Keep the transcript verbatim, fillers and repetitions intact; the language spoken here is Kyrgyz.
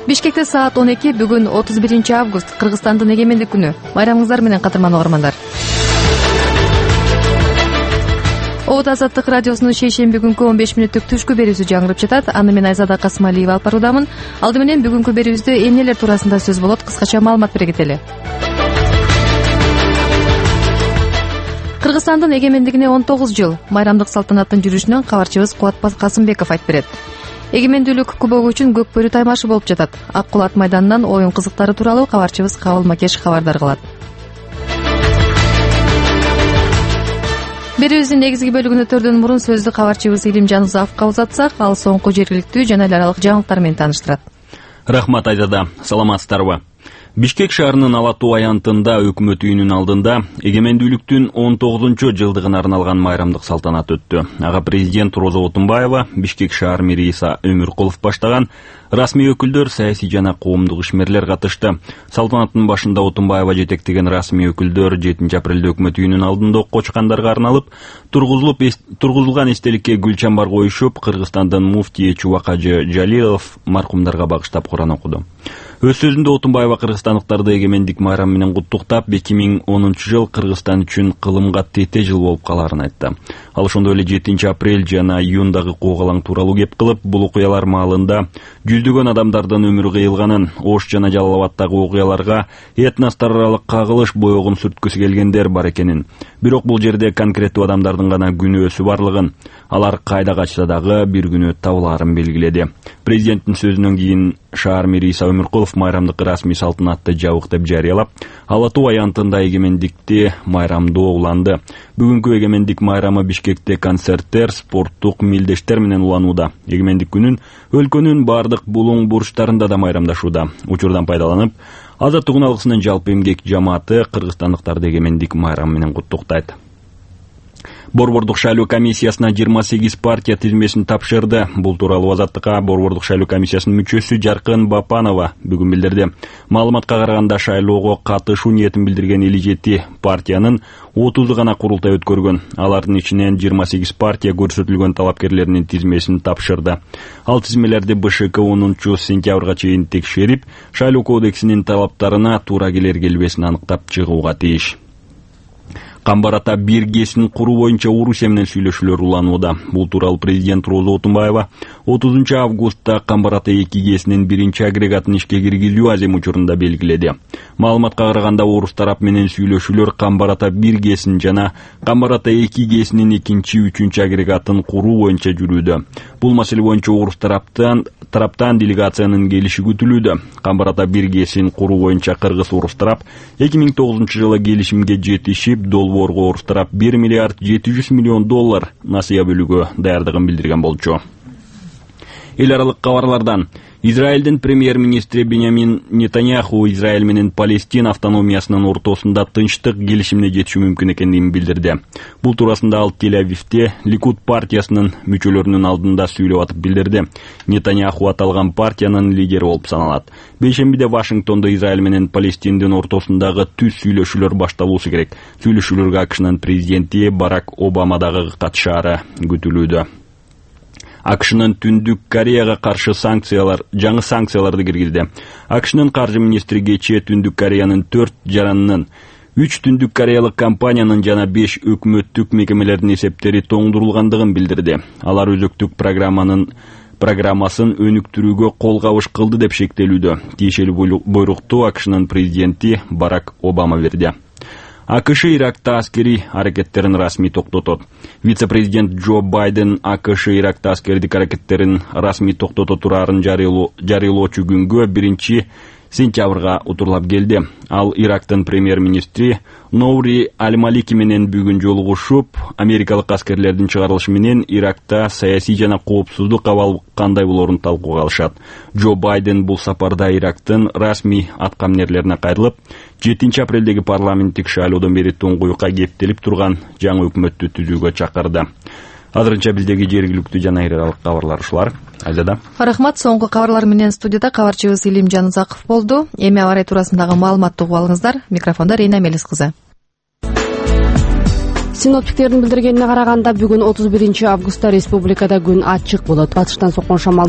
Бишкекте саат он эки. Бүгүн отуз биринчи август, Кыргызстандын эгемендик күнү. Байрамыңыздар менен кадырман угармандар. Обут Азаттык радиосунун шейшемби күнкү он беш мүнөттүк түшкү берүүсү жаңырып жатат. Аны мен Айзада Касымалиева алып баруудамын. Алды менен бүгүнкү берүүбүздө эмнелер туурасында сөз болот, кыскача маалымат бере кетели. Кыргызстандын эгемендигине он тогуз жыл. Майрамдык салтанаттын жүрүшүнөн кабарчыбыз Кубатбек Касымбеков айтып берет. Эгемендүүлүк кубогу үчүн көк бөрү таймашы болуп жатат. Ак Кулат майданынан оюн кызыктары тууралуу кабарчыбыз Кабыл Макеш кабардар кылат. Берүүбүздүн негизги бөлүгүн өтөрдөн мурун сөздү кабарчыбыз Илим Жанузаковго узатсак, ал соңку жергиликтүү жана эл аралык жаңылыктар менен тааныштырат. Рахмат Айзада, саламатсыздарбы? Бишкек шаарынын Ала Тоо аянтында өкмөт үйүнүн алдында эгемендүүлүктүн он тогузунчу жылдыгына арналган майрамдык салтанат өттү. Ага президент Роза Отунбаева, Бишкек шаар мэри Иса Өмүркулов баштаган расмий өкүлдөр, саясий жана коомдук ишмерлер катышты. Салтанаттын башында Отунбаева жетектеген расмий өкүлдөр жетинчи апрелде өкмөт үйүнүнүн алдында окко чыккандарга арналып тургузулуп тургузулган эстеликке гүл чамбар коюшуп, Кыргызстандын муфтийи Чубак Ажы Жалилов маркумдарга багыштап Куран окуду. Өз сөзүндө Отунбаева кыргызстандыктарды эгемендик майрамы менен куттуктап, эки миң онунчу жыл Кыргызстан үчүн кылымга тете жыл болуп калаарын айтты. Ал ошондой эле жетинчи апрель жана июндагы куугалаң тууралуу кеп кылып, бул окуялар маалында жүздөгөн адамдардын өмүрү кыйылганын, Ош жана Жалал Абаддагы окуяларга этностор аралык кагылыш боёгун сүрткүсү келгендер бар экенин, бирок бул жерде конкреттүү адамдардын гана күнөөсү барлыгын, алар кайда качса дагы бир күнү табылаарын белгиледи. Президенттин сөзүнөн кийин шаар мэри Иса Өмүркулов майрамдык расмий салтанатты жабык деп жарыялап, Ала Тоо аянтында эгемендикти майрамдоо уланды. Бүгүнкү эгемендик майрамы Бишкекте концерттер, спорттук мелдештер менен уланууда. Эгемендик күнүн өлкөнүн бардык булуң бурчтарында да майрамдашууда. Учурдан пайдаланып, Азаттык үн алгысынын жалпы эмгек жамааты кыргызстандыктарды эгемендик майрамы менен куттуктайт. Борбордук шайлоо комиссиясына жыйырма сегиз партия тизмесин тапшырды. Бул тууралуу Азаттыкка Борбордук шайлоо комиссиясынын мүчөсү Жаркын Бапанова бүгүн билдирди. Маалыматка караганда шайлоого катышуу ниетин билдирген элүү жети партиянын отузу гана курултай өткөргөн. Алардын ичинен жыйырма сегиз партия көрсөтүлгөн талапкерлеринин тизмесин тапшырды. Ал тизмелерди БШК онунчу сентябрга чейин текшерип, шайлоо кодексинин талаптарына туура келер келбесин аныктап чыгууга тийиш. Камбар ата биргесин куруу боюнча Орусия менен сүйлөшүүлөр уланууда. Бул тууралуу президент Роза Отунбаева отузунчу августта Камбар ата эки гесинин биринчи агрегатын ишке киргизүү азем учурунда белгиледи. Маалыматка караганда орус тарап менен сүйлөшүүлөр Камбар ата бир гесин жана Камбар ата эки гесинин экинчи, үчүнчү агрегатын куруу боюнча жүрүүдө. Бул маселе боюнча орус тараптан тараптан делегациянын келиши күтүлүүдө. Камбар ата бир гесин куруу боюнча кыргыз орус тарап эки миң тогузунчу жылы келишимге жетишип, долбоорго орус тарап бир миллиард жети жүз миллион доллар насыя бөлүүгө даярдыгын билдирген болчу. Эл аралык кабарлардан Израилдин премьер-министри Беньямин Нетаньяху Израиль менен Палестина автономиясынын ортосунда тынчтык келишимине жетишүү мүмкүн экендигин билдирди. Бул туурасында ал Тель-Авивде Ликуд партиясынын мүчөлөрүнүн алдында сүйлөп атып билдирди. Нетаньяху аталган партиянын лидери болуп саналат. Бейшембиде Вашингтондо Израиль менен Палестиндин ортосундагы түз сүйлөшүүлөр башталуусу керек. Сүйлөшүүлөргө АКШнын президенти Барак Обама дагы катышаары күтүлүүдө. АКШнын Түндүк Кореяга каршы санкциялар, жаңы санкцияларды киргизди. АКШнын каржы министри кечээ Түндүк Кореянын төрт жаранынын, үч Түндүк Кореялык компаниянын жана беш өкмөттүк мекемелердин эсептери тоңдурулгандыгын билдирди. Алар өзөктүк программанын программасын өнүктүрүүгө кол кабыш кылды деп шектелүүдө. Тиешелүү буйрукту АКШнын президенти Барак Обама берди. АКШ Иракта аскери аракеттерин расмий токтотот. Вице-президент Джо Байден АКШ Иракта аскердик аракеттерин расмий токтото тураарын жарыялоочу күнгө биринчи сентябрга утурлап келди. Ал Ирактын премьер-министри Ноури Аль-Малики менен бүгүн жолугушуп, америкалык аскерлердин чыгарылышы менен Иракта саясий жана коопсуздук абал кандай болорун талкууга алышат. Джо Байден бул сапарда Ирактын расмий аткаминерлерине кайрылып, жетинчи апрелдеги парламенттик шайлоодон бери туңгуюкка кептелип турган жаңы өкмөттү түзүүгө чакырды. Азырынча биздеги жергиликтүү жана эл аралык кабарлар ушулар. Айзада. Рахмат. Соңку кабарлар менен студияда кабарчыбыз Илим Жанузаков болду. Эми аба ырайы туурасындагы маалыматты угуп алыңыздар. Микрофондо Рейна Мелис кызы. Синоптиктердин билдиргенине караганда бүгүн отуз биринчи августта республикада күн ачык болот. Батыштан соккон шамал